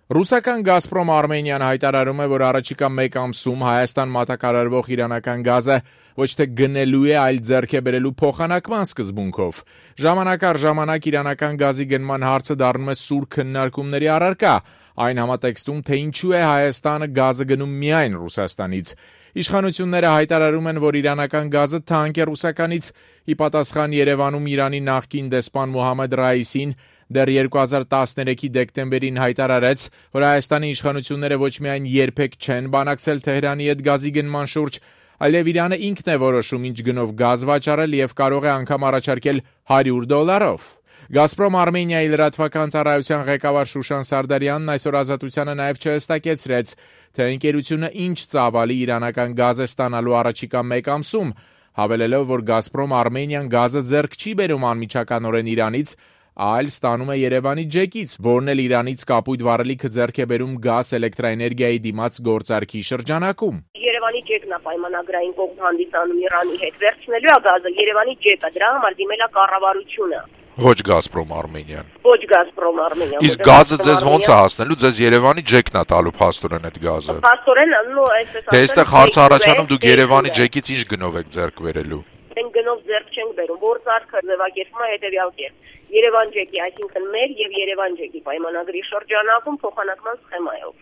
Ռուսական «Գազպրոմ Արմենիան» հայտարարում է, որ առաջիկա մեկ ամսում Հայաստան մատակարարվող իրանական գազը ոչ թե գնելու է, այլ ձեռք է բերելու փոխանակման սկզբունքով։ Ժամանակ առ ժամանակ իրանական գազի գնման հարցը դառնում է սուր քննարկումների առարկա, այն համատեքստում, թե ինչու է Հայաստանը գազը գնում միայն Ռուսաստանից։ Իշխանությունները հայտարարում են, որ իրանական գազը թանկ է ռուսականից, ի պատասխան Երևանում Իրանի նախկին դեսպան Մոհամմեդ Ռայիսին դեռ 2013-ի դեկտեմբերին հայտարարեց, որ Հայաստանի իշխանությունները ոչ միայն երբեք չեն բանակցել Թեհրանի հետ գազի գնման շուրջ, այլև Իրանը ինքն է որոշում ինչ գնով գազ վաճառել եւ կարող է անգամ առաջարկել $100։ «Գազպրոմ Արմենիայի» լրատվական ծառայության ղեկավար Շուշան Սարդարյանն այսօր Ազատությանը նաև չհստակեցրեց, թե ընկերությունը ինչ ծավալի իրանական գազ է ստանալու առաջիկա մեկ ամսում, հավելելով, որ «Գազպրոմ Արմենիան» գազը ձեռք չի բերում անմիջականորեն Իրանից, այլ ստանում է Երևանի ջեկից, որն էլ Իրանից կապույտ վառելիքը ձեռք է բերում գազ էլեկտրաէներգիայի դիմաց գործարքի շրջանակում։ Երևանի ջեկն է պայմանագրային կողմ հանդիսանում Իրանի հետ, վերցնելու է գազը Երևանի ջեկը, դրա համար դիմել է կառավարությունը։ Ոչ «Գազպրոմ Արմենիան»։ Ոչ «Գազպրոմ Արմենիան»։ Իսկ գազը ձեզ ոնց է հասնելու, ձեզ Երևանի ջեկն է տալու փաստորեն այդ գազը։ Փաստորեն, այսպես Դե այստեղ հարց առաջանում դուք Երևանի ջեկից ինչ գնով եք ձեռք բերելու։ Մենք գնով ձեռք չենք բերում, գործարքը ձևակերպվում է հետևյալ կերպ։ Երևան ջեկի, այսինքն մեր եւ Երևան ջեկի պայմանագրի շրջանակում փոխանակման սխեմայով։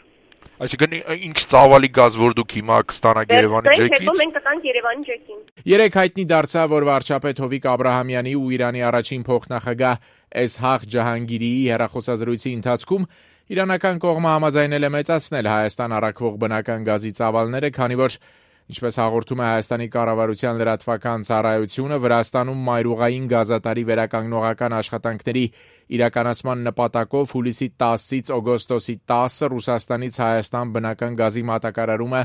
Այսինքն ինչ ծավալի գազ որ դուք հիմա կստանաք Երևանի ջեկից։ Հետո մենք կտանք Երևանի ջեկին։ Երեք հայտնի դարձավ, որ վարչապետ Հովիկ Աբրահամյանի ու Իրանի առաջին փոխնախագահ Էսհաղ Ջահանգիրիի հեռախոսազրույցի ընթացքում իրանական կողմը համաձայնել է մեծացնել Հայաստան առաքվող բնական գազի ծավալները, քանի որ, ինչպես հաղորդում է Հայաստանի կառավարության լրատվական ծառայությունը, Վրաստանում մայրուղային գազատարի վերականգնողական աշխատանքների իրականացման նպատակով հուլիսի 10-ից օգոստոսի 10-ը Ռուսաստանից Հայաստան բնական գազի մատակարարումը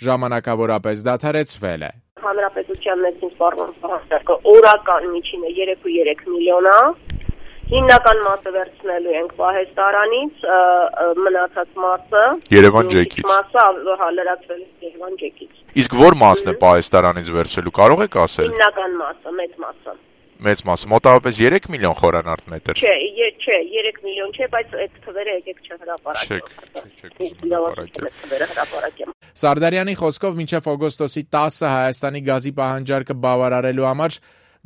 ժամանակավորապես դադարեցվել է։ Հանրապետության ներքին սպառնալիքը օրական միջինը 3.3 միլիոն է։ Հիմնական մասը վերցնելու ենք Պահեստարանից, մնացած մասը Երևան ջեկից։ Մասը լրացվել է Երևան ջեկից։ Իսկ որ մասն է Պահեստարանից վերցելու, կարող եք ասել։ Հիմնական մասը, մեծ մասը։ Մեծ մասը, մոտավորապես 3 միլիոն խորանարդ մետր։ Չէ, 3 միլիոն չէ, բայց այդ թվերը եկեք չհրապարակեմ։ Սարդարյանի խոսքով մինչև օգոստոսի 10-ը Հայաստանի գազի պահանջարկը բավարարելու համար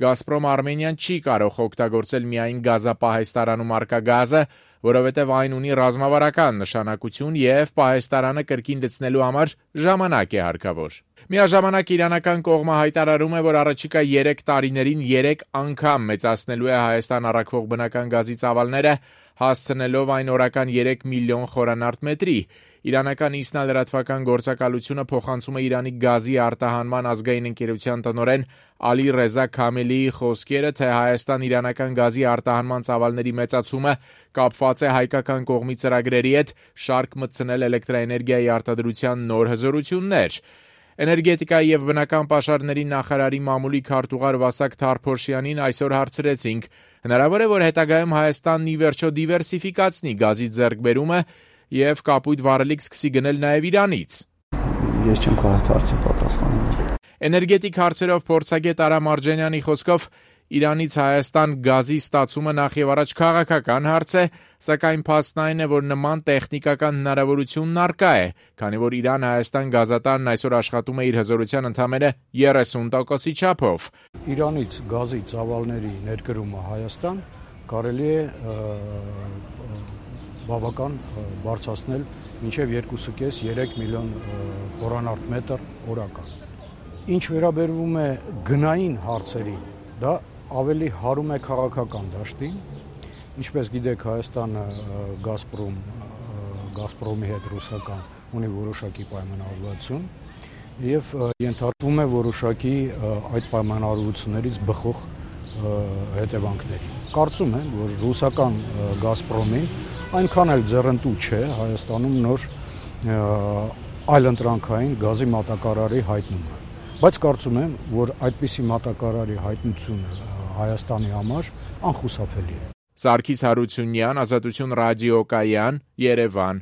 «Գազպրոմ Արմենիան» չի կարող օգտագործել միայն գազապահեստարանում առկա գազը, որովհետև այն ունի ռազմավարական նշանակություն եւ Պահեստարանը կրկին լցնելու համար ժամանակ է հարկավոր։ Միաժամանակ իրանական կողմը հայտարարում է, որ առաջիկա 3 տարիներին 3 անգամ մեծացնելու է Հայաստան առաքվող բնական գազի ծավալները, հասցնելով այն օրական 3 միլիոն խորանարդ մետրի։ Իրանական ԻՍՆԱ լրատվական գործակալությունը փոխանցում է Իրանի գազի արտահանման ազգային ընկերության տնօրեն Ալի Ռեզա Քամելիի խոսքերը, թե Հայաստան-իրանական գազի արտահանման ծավալների մեծացումը կապված է հայկական կողմի ծրագրերի հետ շարք մտցնել էլեկտրաէներգիայի արտադրության նոր հզորություններ։ Էներգետիկայի եւ բնական պաշարների նախարարի մամուլի քարտուղար Վասակ Թարփոշյանին այսօր հարցրեցինք. հնարավոր է, որ հետագայում Հայաստանն ի վերջո դիվերսիֆիկացնի գազի ձեռքբերումը եւ կապույտ վառելիք սկսի գնել նաեւ Իրանից։ Ես չեմ կարող հարցի պատասխանել։ Էներգետիկ հարցերով փորձագետ Արա Մարջանյանի խոսքով Իրանից Հայաստան գազի ստացումը նախ եւ առաջ քաղաքական հարց է, սակայն փաստն այն է, որ նման տեխնիկական հնարավորությունն առկա է, քանի որ Իրան-Հայաստան գազատարն այսօր աշխատում է իր հզորության ընդամենը 30%-ի չափով։ Իրանից գազի ծավալների ներկրումը Հայաստան կարելի է բավական բարձրացնել մինչև 2.5-3 միլիոն խորանարդ մետր օրական։ Ինչ վերաբերվում է գնային հարցերին, դա ավելի հարում է քաղաքական դաշտին, ինչպես գիտեք Հայաստանը Գազպրոմի հետ ռուսական ունի որոշակի պայմանավորվածություն եւ ենթարկվում է որոշակի այդ պայմանավորություններից բխող հետևանքների։ Կարծում եմ, որ ռուսական Գազպրոմին այնքան էլ ձեռնտու չէ Հայաստանում նոր այլընտրանքային գազի մատակարարի հայտնումը, բայց կարծում եմ, որ այդպիսի մատակարարի հայտնությունը Հայաստանի համար անխուսափելի է։ Սարգիս Հարությունյան, Ազատություն ռադիոկայան, Երևան։